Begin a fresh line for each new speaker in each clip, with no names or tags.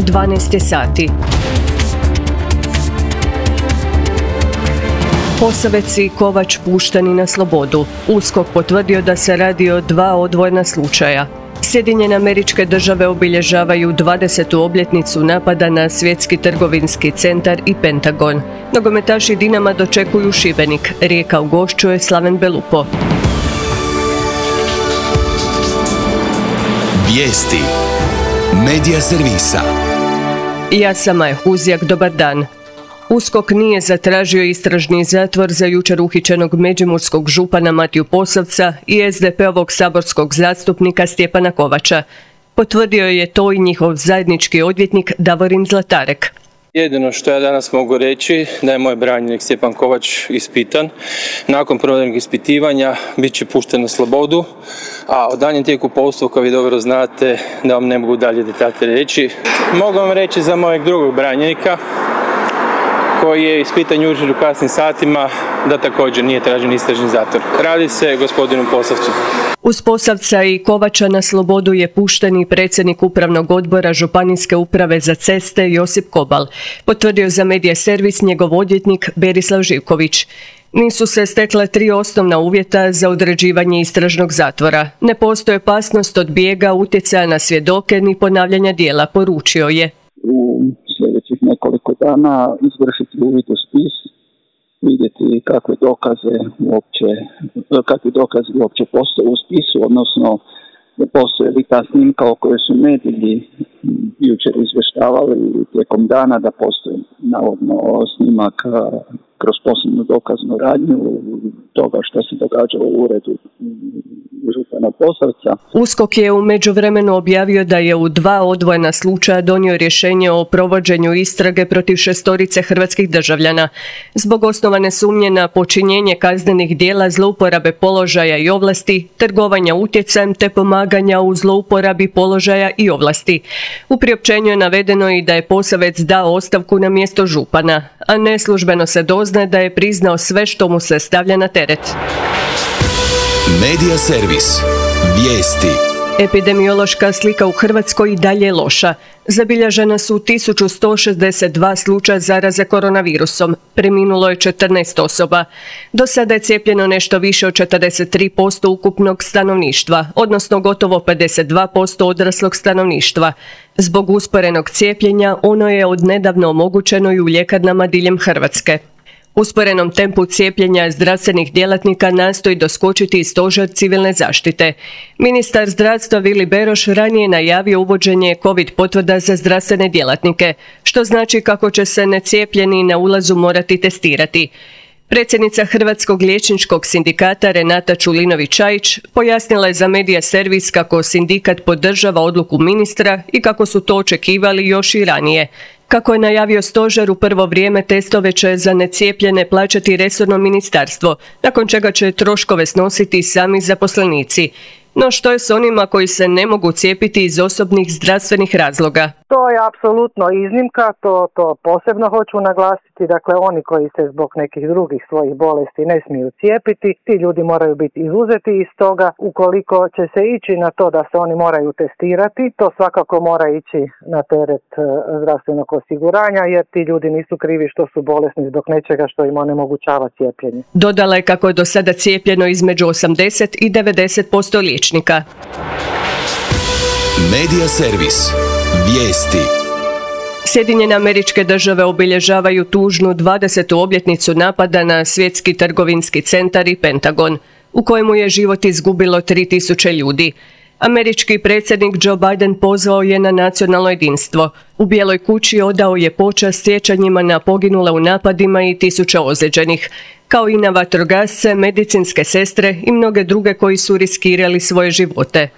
12 sati. Posavec i Kovač pušteni na slobodu. USKOK potvrdio da se radi o dva odvojena slučaja. Sjedinjene Američke Države obilježavaju 20. obljetnicu napada na Svjetski trgovinski centar i Pentagon. Nogometaši Dinama dočekuju Šibenik. Rijeka ugošćuje Slaven Belupo.
Vijesti Medija servisa.
Ja sam Maja Huzjak, dobar dan. USKOK nije zatražio istražni zatvor za jučer uhićenog međimurskog župana Matiju Posavca i SDP-ovog saborskog zastupnika Stjepana Kovača. Potvrdio je to i njihov zajednički odvjetnik Davorin Zlatarek.
Jedino što ja danas mogu reći da je moj branjenik Stjepan Kovač ispitan. Nakon provedenog ispitivanja bit će pušten na slobodu, a o danjem tijeku postupka vi dobro znate da vam ne mogu dalje detalje reći. Mogu vam reći za mojeg drugog branjenika koji je ispitan jučer u kasnim satima da također nije tražen istražni zatvor. Radi se o gospodinu Posavcu.
Uz Posavca i Kovača na slobodu je pušten i predsjednik upravnog odbora Županijske uprave za ceste Josip Kobal, potvrdio za Medija servis njegov odvjetnik Berislav Živković. Nisu se stekla 3 osnovna uvjeta za određivanje istražnog zatvora. Ne postoji opasnost od bijega, utjecaja na svjedoke ni ponavljanja djela, poručio je.
U sljedećih nekoliko dana izvršiti uvid u spis, vidjeti kakvi dokazi uopće postoje u spisu, odnosno postoje li ta snimka o kojoj su mediji jučer izvještavali tijekom dana da postoji navodno snimak kroz posebnu dokaznu radnju toga što se događalo u uredu župana Posavca.
USKOK je u međuvremenu objavio da je u 2 odvojena slučaja donio rješenje o provođenju istrage protiv 6 hrvatskih državljana zbog osnovane sumnje na počinjenje kaznenih djela zlouporabe položaja i ovlasti, trgovanja utjecajem te pomaganja u zlouporabi položaja i ovlasti. U priopćenju je navedeno i da je Posavec dao ostavku na mjesto župana, a neslužbeno se doznaje da je priznao sve što mu se stavlja na teret.
Medija servis. Vijesti.
Epidemiološka slika u Hrvatskoj i dalje je loša. Zabilježena su 1162 slučaja zaraze koronavirusom. Preminulo je 14 osoba. Do sada je cijepljeno nešto više od 43% ukupnog stanovništva, odnosno gotovo 52% odraslog stanovništva. Zbog usporenog cijepljenja ono je odnedavno omogućeno i u ljekarnama diljem Hrvatske. Usporenom tempu cijepljenja zdravstvenih djelatnika nastoji doskočiti i stožer civilne zaštite. Ministar zdravstva Vili Beroš ranije najavio uvođenje COVID potvrda za zdravstvene djelatnike, što znači kako će se necijepljeni na ulazu morati testirati. Predsjednica Hrvatskog liječničkog sindikata Renata Čulinović-Čajić pojasnila je za Medija servis kako sindikat podržava odluku ministra i kako su to očekivali još i ranije. Kako je najavio stožer, u prvo vrijeme testove će za necijepljene plaćati resorno ministarstvo, nakon čega će troškove snositi sami zaposlenici. No što je s onima koji se ne mogu cijepiti iz osobnih zdravstvenih razloga?
To je apsolutno iznimka, to posebno hoću naglasiti. Dakle, oni koji se zbog nekih drugih svojih bolesti ne smiju cijepiti, ti ljudi moraju biti izuzeti iz toga. Ukoliko će se ići na to da se oni moraju testirati, to svakako mora ići na teret zdravstvenog osiguranja, jer ti ljudi nisu krivi što su bolesni zbog nečega što im onemogućava cijepljenje.
Dodala je kako je do sada cijepljeno između 80 i 90% liječnika.
Medija servis. Vijesti.
Sjedinjene Američke Države obilježavaju tužnu 20. obljetnicu napada na Svjetski trgovinski centar i Pentagon, u kojemu je život izgubilo 3000 ljudi. Američki predsjednik Joe Biden pozvao je na nacionalno jedinstvo. U Bijeloj kući odao je počast sjećanjima na poginule u napadima i 1000 ozlijeđenih, kao i na vatrogasce, medicinske sestre i mnoge druge koji su riskirali svoje živote.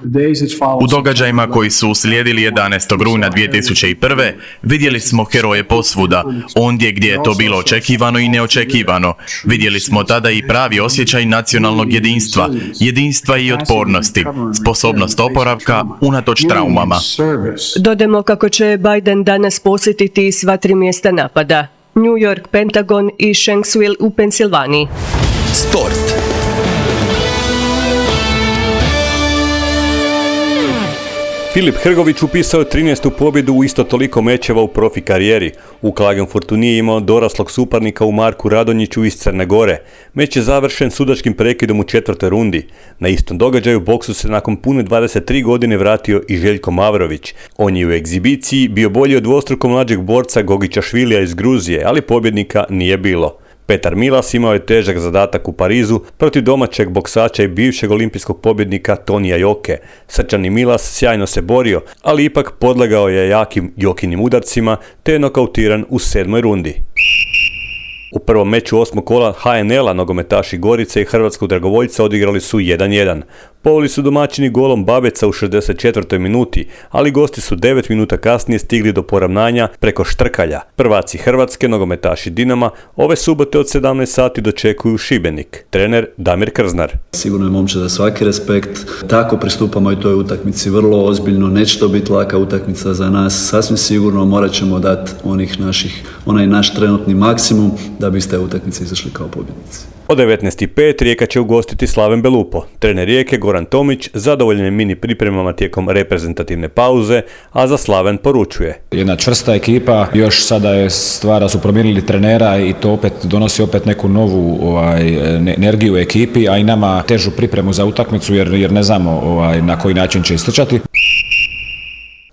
U događajima koji su uslijedili 11. rujna 2001. vidjeli smo heroje posvuda, ondje gdje je to bilo očekivano i neočekivano. Vidjeli smo tada i pravi osjećaj nacionalnog jedinstva i otpornosti, sposobnost oporavka unatoč traumama.
Dodajmo kako će Biden danas posjetiti sva 3 mjesta napada: New York, Pentagon i Shanksville u Pensilvaniji.
Sport.
Filip Hrgović upisao je 13. pobjedu u isto toliko mečeva u profi karijeri. U Klagenfurtu nije imao doraslog suparnika u Marku Radonjiću iz Crne Gore. Meč je završen sudačkim prekidom u 4. rundi. Na istom događaju boksu se nakon pune 23 godine vratio i Željko Mavrović. On je u egzibiciji bio bolji od dvostruko mlađeg borca Gogića Švilija iz Gruzije, ali pobjednika nije bilo. Petar Milas imao je težak zadatak u Parizu protiv domaćeg boksača i bivšeg olimpijskog pobjednika Tonija Joke. Srčani Milas sjajno se borio, ali ipak podlegao je jakim Jokinim udarcima te je nokautiran u 7. rundi. U prvom meču 8. kola HNL-a nogometaši Gorice i hrvatskog dragovoljca odigrali su 1-1. Poveli su domaćini golom Babeca u 64. minuti, ali gosti su 9 minuta kasnije stigli do poravnanja preko Štrkalja. Prvaci Hrvatske, nogometaši Dinama, ove subote od 17 sati dočekuju Šibenik. Trener Damir Krznar.
Sigurno je momče za svaki respekt. Tako pristupamo i toj utakmici vrlo ozbiljno. Neće to biti laka utakmica za nas. Sasvim sigurno morat ćemo dati onaj naš trenutni maksimum da bi iz te utakmice izašli kao pobjednici.
Od 19.05 Rijeka će ugostiti Slaven Belupo. Trener Rijeke Goran Tomić zadovoljen je mini pripremama tijekom reprezentativne pauze, a za Slaven poručuje.
Jedna čvrsta ekipa, još sada je stvar da su promijenili trenera i to opet donosi neku novu energiju u ekipi, a i nama težu pripremu za utakmicu jer ne znamo na koji način će istrčati.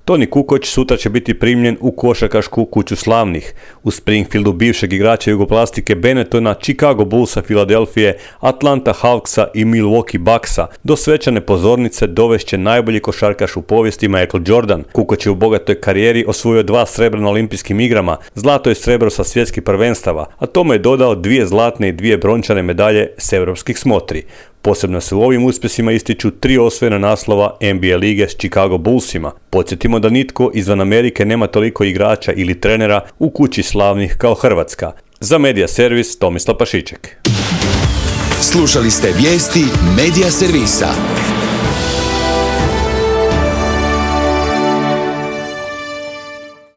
Toni Kukoć sutra će biti primljen u košarkašku kuću slavnih. U Springfieldu bivšeg igrača Jugoplastike Benettona, Chicago Bullsa Filadelfije, Atlanta Hawksa i Milwaukee Bucksa do svečane pozornice dovešće najbolji košarkaš u povijesti Michael Jordan. Kukoć je u bogatoj karijeri osvojio 2 srebra na olimpijskim igrama, zlato i srebro sa svjetskih prvenstava, a tome je dodao 2 zlatne i 2 brončane medalje s europskih smotri. Posebno se u ovim uspjesima ističu 3 osvojena naslova NBA lige s Chicago Bullsima. Podsjetimo da nitko izvan Amerike nema toliko igrača ili trenera u kući slavnih kao Hrvatska. Za Medija Servis Tomislav Pašiček.
Slušali ste vijesti Medija Servisa.